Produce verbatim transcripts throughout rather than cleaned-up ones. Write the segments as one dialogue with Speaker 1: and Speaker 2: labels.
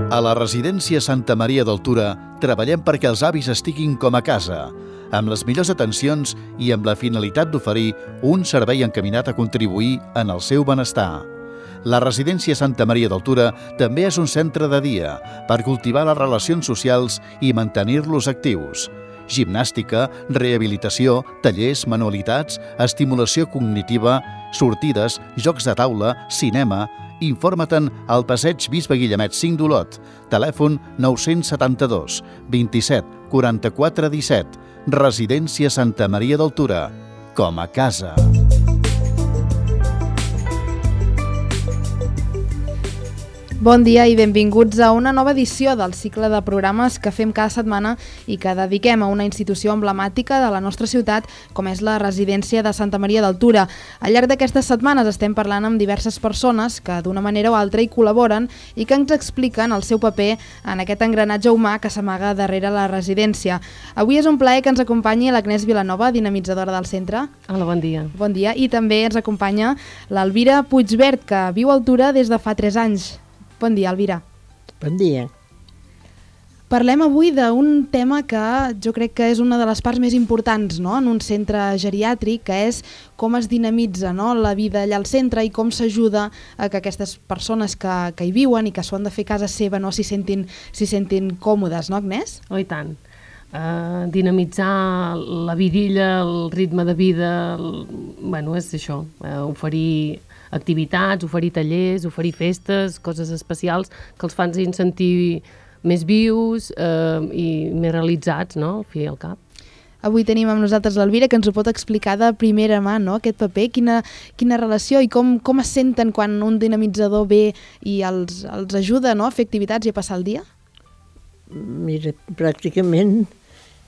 Speaker 1: A la residència Santa Maria d'Altura treballem perquè els avis estiguin com a casa, amb les millors atencions i amb la finalitat d'oferir un servei encaminat a contribuir en el seu benestar. La residència Santa Maria d'Altura també és un centre de dia per cultivar les relacions socials i mantenir-los actius. Gimnàstica, rehabilitació, tallers, manualitats, estimulació cognitiva, sortides, jocs de taula, cinema. Informa-te'n al passeig Bisbe Guillemet cinc d'Olot, telèfon nou set dos, vint-i-set, quaranta-quatre, disset. Residència Santa Maria d'Altura, com a casa.
Speaker 2: Bon dia i benvinguts a una nova edició del cicle de programes que fem cada setmana i que dediquem a una institució emblemàtica de la nostra ciutat, com és la residència de Santa Maria d'Altura. Al llarg d'aquestes setmanes estem parlant amb diverses persones que d'una manera o altra hi col·laboren i que ens expliquen el seu paper en aquest engranatge humà que s'amaga darrere la residència. Avui és un plaer que ens acompanyi l'Agnès Vilanova, dinamitzadora del centre.
Speaker 3: Hola, bon dia.
Speaker 2: Bon dia. I també ens acompanya l'Elvira Puigvert, que viu a Altura des de fa tres anys. Bon dia, Elvira.
Speaker 4: Bon dia.
Speaker 2: Parlem avui d'un tema que jo crec que és una de les parts més importants, no?, en un centre geriàtric, que és com es dinamitza, no?, la vida allà al centre i com s'ajuda a que aquestes persones que, que hi viuen i que s'ho han de fer a casa seva no s'hi sentin, s'hi sentin còmodes, no, Agnès?
Speaker 3: Oh, i tant. Uh, dinamitzar la vidilla, el ritme de vida, el... bueno, és això, uh, oferir activitats, oferir tallers, oferir festes, coses especials que els fan sentir més vius eh, i més realitzats, no?, al fi i al cap.
Speaker 2: Avui tenim amb nosaltres l'Elvira, que ens ho pot explicar de primera mà, no?, aquest paper, quina, quina relació i com, com es senten quan un dinamitzador ve i els, els ajuda, no?, a fer activitats i a passar el dia?
Speaker 4: Mira, pràcticament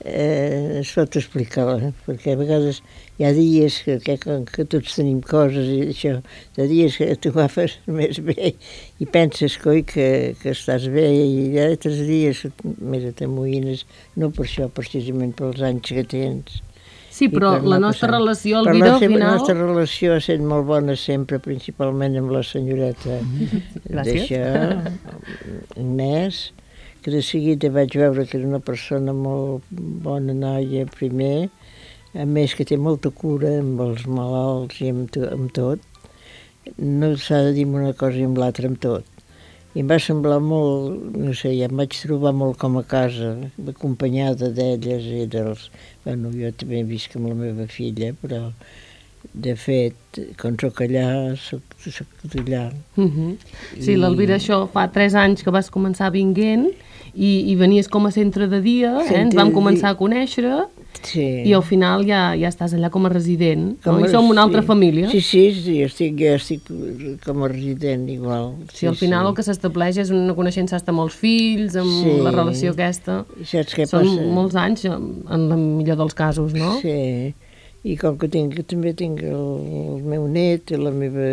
Speaker 4: eh, es pot explicar, eh? Perquè a vegades hi ha dies que, que, que tots tenim coses i això, hi ha dies que tu agafes més bé i penses, coi, que, que estàs bé, i hi ha altres dies, mira, t'amoïnes, no per això, precisament pels anys que tens.
Speaker 3: Sí, però la
Speaker 4: no
Speaker 3: nostra
Speaker 4: passar.
Speaker 3: relació, al vida, al final...
Speaker 4: La nostra relació ha estat molt bona sempre, principalment amb la senyoreta d'això, Agnès, que de seguida vaig veure que era una persona molt bona noia primer, a més que té molta cura amb els malalts i amb, to, amb tot. No s'ha de dir una cosa i amb l'altra amb tot. I em va semblar molt, no sé, ja em vaig trobar molt com a casa, acompanyada d'elles i dels... Bueno, jo també visc amb la meva filla, però de fet, quan soc allà, soc, soc allà.
Speaker 3: Uh-huh. Sí, I... l'Elvira, això fa tres anys que vas començar vinguent i, i venies com a centre de dia, eh? Ens vam començar a conèixer, sí. I al final ja, ja estàs allà com a resident, com no? A, I som una altra
Speaker 4: sí.
Speaker 3: família.
Speaker 4: Sí, sí, sí, estic, jo estic com a resident igual.
Speaker 3: Sí, sí, al final sí. El que s'estableix és una coneixença de molts fills, amb sí. La relació aquesta.
Speaker 4: Saps què
Speaker 3: Són
Speaker 4: passa?
Speaker 3: molts anys, en el millor dels casos, no?
Speaker 4: Sí, i com que tinc, també tinc el, el meu net i la meva,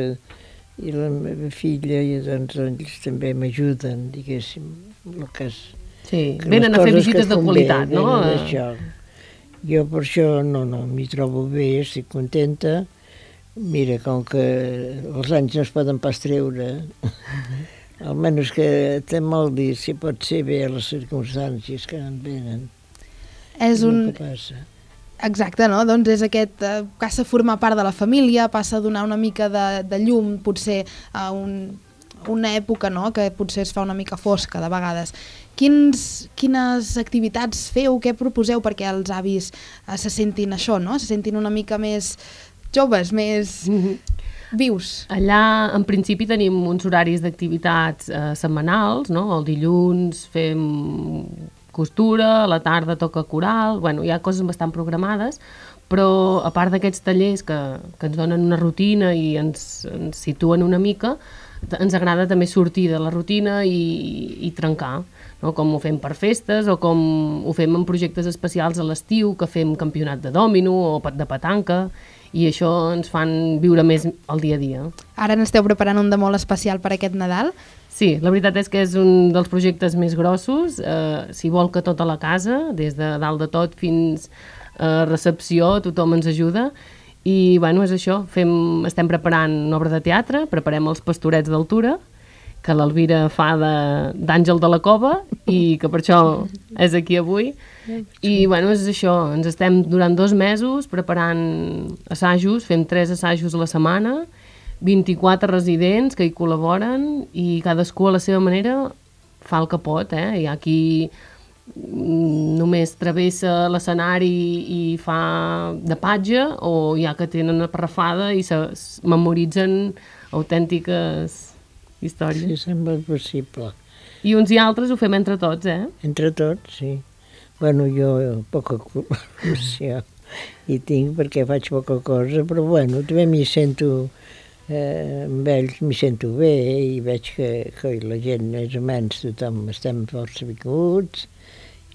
Speaker 4: i la meva filla, i doncs ells també m'ajuden, diguéssim, en el cas...
Speaker 3: Sí, venen a fer visites de qualitat, no?
Speaker 4: Això. Jo per això no, no, m'hi trobo bé, estic contenta. Mira, com que els anys no es poden pas treure, almenys que té mal dir si pot ser bé a les circumstàncies que en venen.
Speaker 2: És un... Exacte, no? Doncs és aquest, eh, passa a formar part de la família, passa a donar una mica de, de llum, potser a un, una època, no?, que potser es fa una mica fosca de vegades. Quins, quines activitats feu, què proposeu perquè els avis eh, se sentin això, no?, se sentin una mica més joves, més vius?
Speaker 3: Allà, en principi, tenim uns horaris d'activitats eh, setmanals, no?, el dilluns fem costura, a la tarda toca coral, bueno, hi ha coses bastant programades, però a part d'aquests tallers que, que ens donen una rutina i ens, ens situen una mica, ens agrada també sortir de la rutina i, i trencar, no? Com ho fem per festes o com ho fem en projectes especials a l'estiu, que fem campionat de dòmino o de petanca, i això ens fan viure més el dia a dia.
Speaker 2: Ara n'esteu preparant un de molt especial per aquest Nadal?
Speaker 3: Sí, la veritat és que és un dels projectes més grossos, eh, si vol que tota la casa, des de dalt de tot fins a recepció, tothom ens ajuda, i bueno, és això, fem, estem preparant una obra de teatre, preparem els Pastorets d'Altura, que l'Elvira fa d'Àngel de la Cova i que per això és aquí avui. I, bueno, és això, ens estem durant dos mesos preparant assajos, fem tres assajos a la setmana, vint-i-quatre residents que hi col·laboren i cadascú a la seva manera fa el que pot, eh? Hi ha qui només travessa l'escenari i fa de patge, o hi ha que tenen una parrafada i se memoritzen autèntiques històries.
Speaker 4: Sí, sembla possible.
Speaker 3: I uns i altres ho fem entre tots, eh?
Speaker 4: Entre tots, sí. Bueno, jo poca col·laboració hi tinc perquè faig poca cosa, però bueno, també m'hi sento, eh, amb ells m'hi sento bé i veig que, que la gent, més o menys, tothom estem força vinguts,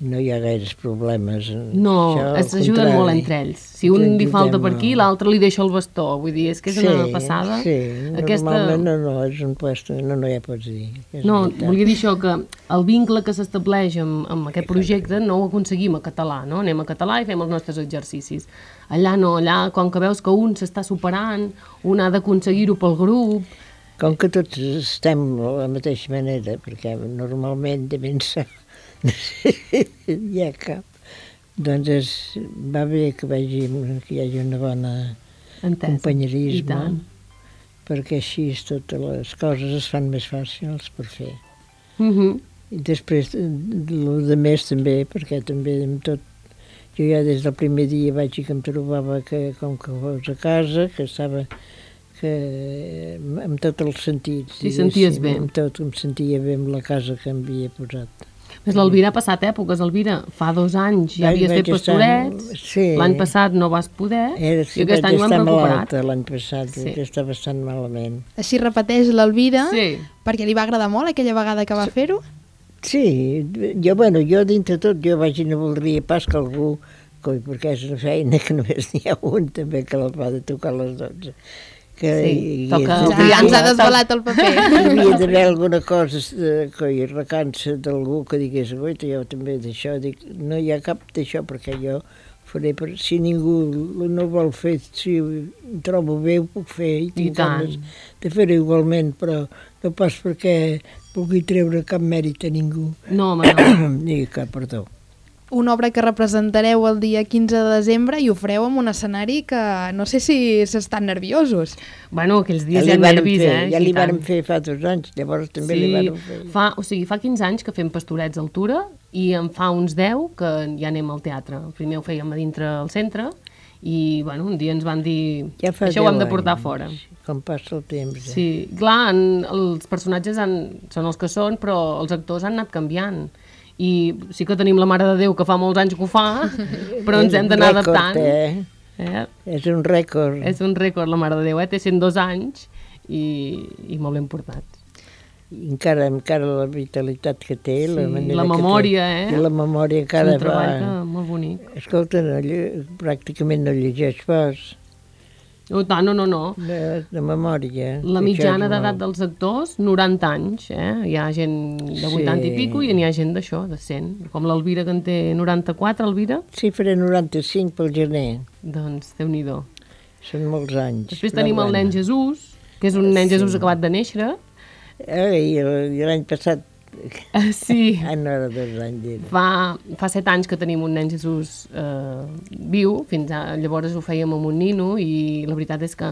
Speaker 4: no hi ha gaires problemes.
Speaker 3: No, s'ajuden molt entre ells. Si un li falta per aquí, l'altre li deixa el bastó. Vull dir, és que és
Speaker 4: sí,
Speaker 3: una passada.
Speaker 4: Sí,
Speaker 3: Aquesta...
Speaker 4: normalment no, no, és un puesto, no, no ja pots dir.
Speaker 3: No, volia dir això, que el vincle que s'estableix amb, amb aquest projecte no ho aconseguim a català, no? Anem a català i fem els nostres exercicis. Allà no, allà, com que veus que un s'està superant, un ha d'aconseguir-ho pel grup...
Speaker 4: Com que tots estem de la mateixa manera, perquè normalment de pensar hi ha cap. Doncs és, va bé que, vegi, que hi hagi una bona
Speaker 3: Entesa.
Speaker 4: Companyerisme, perquè així totes les coses es fan més fàcils per fer.
Speaker 3: Mm -hmm.
Speaker 4: I després, el de més també, perquè també amb tot, jo ja des del primer dia vaig dir que em trobava que, com que fos a casa, que estava que, amb tots els sentits.
Speaker 3: T'hi senties bé.
Speaker 4: Amb tot, em sentia bé amb la casa que em havia posat.
Speaker 3: Més l'Elvira ha passat èpoques, Elvira. Fa dos anys ja havies fet pastorets,
Speaker 4: sí.
Speaker 3: L'any passat no vas poder,
Speaker 4: Era, sí,
Speaker 3: i aquest any ho hem recuperat.
Speaker 4: L'any passat, sí. Està bastant malament.
Speaker 2: Així repeteix l'Elvira,
Speaker 3: sí.
Speaker 2: Perquè li va agradar molt aquella vegada que va fer-ho?
Speaker 4: Sí, jo, bueno, jo dintre tot, jo vaig i no voldria pas que algú, perquè és una feina que només n'hi ha un també que l'ha de tocar a les dotze. Que
Speaker 3: sí,
Speaker 4: hi,
Speaker 3: toca...
Speaker 2: Ja, ja ens ha desvelat el paper.
Speaker 4: Hi havia d'haver alguna cosa que hi recança d'algú que digués, guaita, jo també d'això, dic, no hi ha cap d'això, perquè jo faré, per, si ningú no vol fer, si ho trobo bé, ho puc fer, i tinc ganes de fer-ho igualment, però no pas perquè pugui treure cap mèrit a ningú.
Speaker 3: No, home, no.
Speaker 4: Ni cap, perdó.
Speaker 2: Una obra que representareu el dia quinze de desembre i ho fareu en un escenari que no sé si s'estan nerviosos.
Speaker 3: Bueno, aquells dies
Speaker 4: ja
Speaker 3: hi ha nervis,
Speaker 4: fer,
Speaker 3: eh?
Speaker 4: Ja li vàrem fer fa dos anys, llavors també
Speaker 3: sí,
Speaker 4: li vàrem fer.
Speaker 3: Fa, o sigui, fa quinze anys que fem pastorets a altura i en fa uns deu que ja anem al teatre. Primer ho fèiem a dintre al centre i, bueno, un dia ens van dir
Speaker 4: ja
Speaker 3: això ho hem de portar anys, fora.
Speaker 4: Com passa el temps. Eh?
Speaker 3: Sí, clar, en, els personatges han, són els que són, però els actors han anat canviant. I sí que tenim la Mare de Déu que fa molts anys que ho fa, però ens hem d'anar adaptant.
Speaker 4: Eh? Eh? És un rècord.
Speaker 3: És un rècord la Mare de Déu, eh? Té cent dos anys i, i molt ben portat.
Speaker 4: I encara, encara la vitalitat que té,
Speaker 3: sí,
Speaker 4: la manera
Speaker 3: la memòria,
Speaker 4: que té,
Speaker 3: eh?
Speaker 4: La memòria encara
Speaker 3: és un treball
Speaker 4: va...
Speaker 3: que, molt bonic.
Speaker 4: Escolta, no, pràcticament no llegeix pas.
Speaker 3: No, no, no, no.
Speaker 4: De, de memòria.
Speaker 3: La mitjana d'edat dels actors, noranta anys, eh? Hi ha gent de vuitanta sí. i pico i n'hi ha gent d'això, de cent. Com l'Elvira, que en té noranta-quatre, Elvira?
Speaker 4: Sí, faré noranta-cinc pel gener.
Speaker 3: Doncs, Déu-n'hi-do.
Speaker 4: Són molts anys.
Speaker 3: Després tenim el nen Jesús, que és un nen sí. Jesús acabat de néixer.
Speaker 4: Eh, I l'any passat...
Speaker 3: Uh, sí.
Speaker 4: Ah, no era dos anys.
Speaker 3: Fa, fa set anys que tenim un nen Jesús eh, viu, fins a, llavors ho fèiem amb un nino i la veritat és que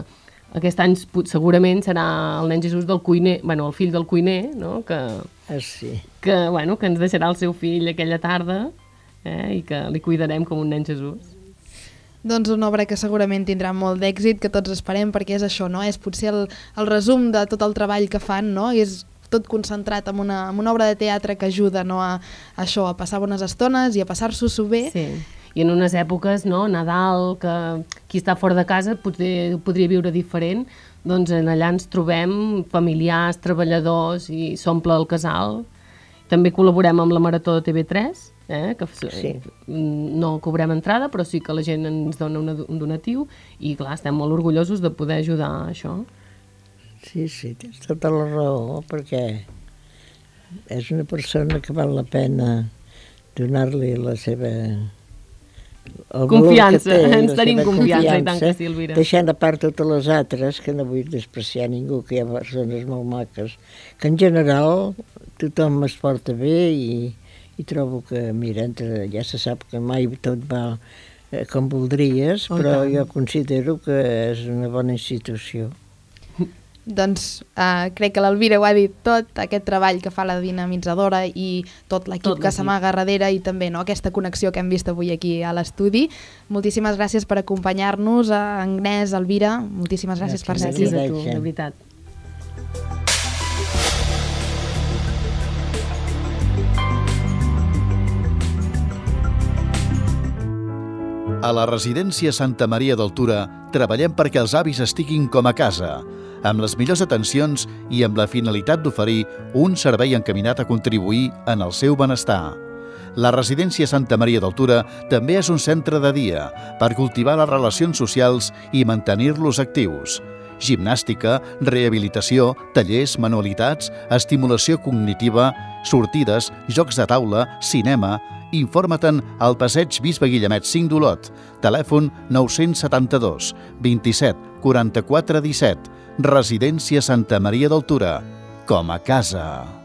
Speaker 3: aquest any segurament serà el nen Jesús del cuiner, bueno, el fill del cuiner, no? que,
Speaker 4: ah, sí.
Speaker 3: que, bueno, que ens deixarà el seu fill aquella tarda eh, i que li cuidarem com un nen Jesús.
Speaker 2: Doncs una obra que segurament tindrà molt d'èxit, que tots esperem, perquè és això, no? És potser el, el resum de tot el treball que fan, no? I és tot concentrat en una, en una obra de teatre que ajuda, no, a, a això, a passar bones estones i a passar-s'ho bé.
Speaker 3: Sí, i en unes èpoques, no, Nadal, que qui està fora de casa potser, podria viure diferent, doncs allà ens trobem familiars, treballadors i s'omple el casal. També col·laborem amb la Marató de T V tres, eh, que sí. no cobrem entrada, però sí que la gent ens dona una, un donatiu i clar, estem molt orgullosos de poder ajudar a això.
Speaker 4: Sí, sí, tens tota la raó, perquè és una persona que val la pena donar-li la seva, el
Speaker 3: confiança,
Speaker 4: valor que té,
Speaker 3: ens tenim confiança, i tant que sí, Elvira.
Speaker 4: Deixant a part totes les altres, que no vull despreciar ningú, que hi ha persones molt maques, que en general tothom es porta bé i, i trobo que, mira, entre, ja se sap que mai tot va eh, com voldries, oh, però tant. Jo considero que és una bona institució.
Speaker 2: Doncs uh, crec que l'Elvira ho ha dit tot, aquest treball que fa la dinamitzadora i tot l'equip que s'amaga darrere i també no, aquesta connexió que hem vist avui aquí a l'estudi. Moltíssimes gràcies per acompanyar-nos, a Agnès, Elvira, moltíssimes gràcies, gràcies per ser aquí.
Speaker 3: Gràcies a tu, de veritat.
Speaker 1: A la residència Santa Maria d'Altura treballem perquè els avis estiguin com a casa, amb les millors atencions i amb la finalitat d'oferir un servei encaminat a contribuir en el seu benestar. La residència Santa Maria d'Altura també és un centre de dia per cultivar les relacions socials i mantenir-los actius. Gimnàstica, rehabilitació, tallers, manualitats, estimulació cognitiva, sortides, jocs de taula, cinema. Informa-te'n al passeig Bisbe Guillemet cinc d'Olot, telèfon nou set dos, vint-i-set, quaranta-quatre, disset. Residència Santa Maria d'Altura, com a casa.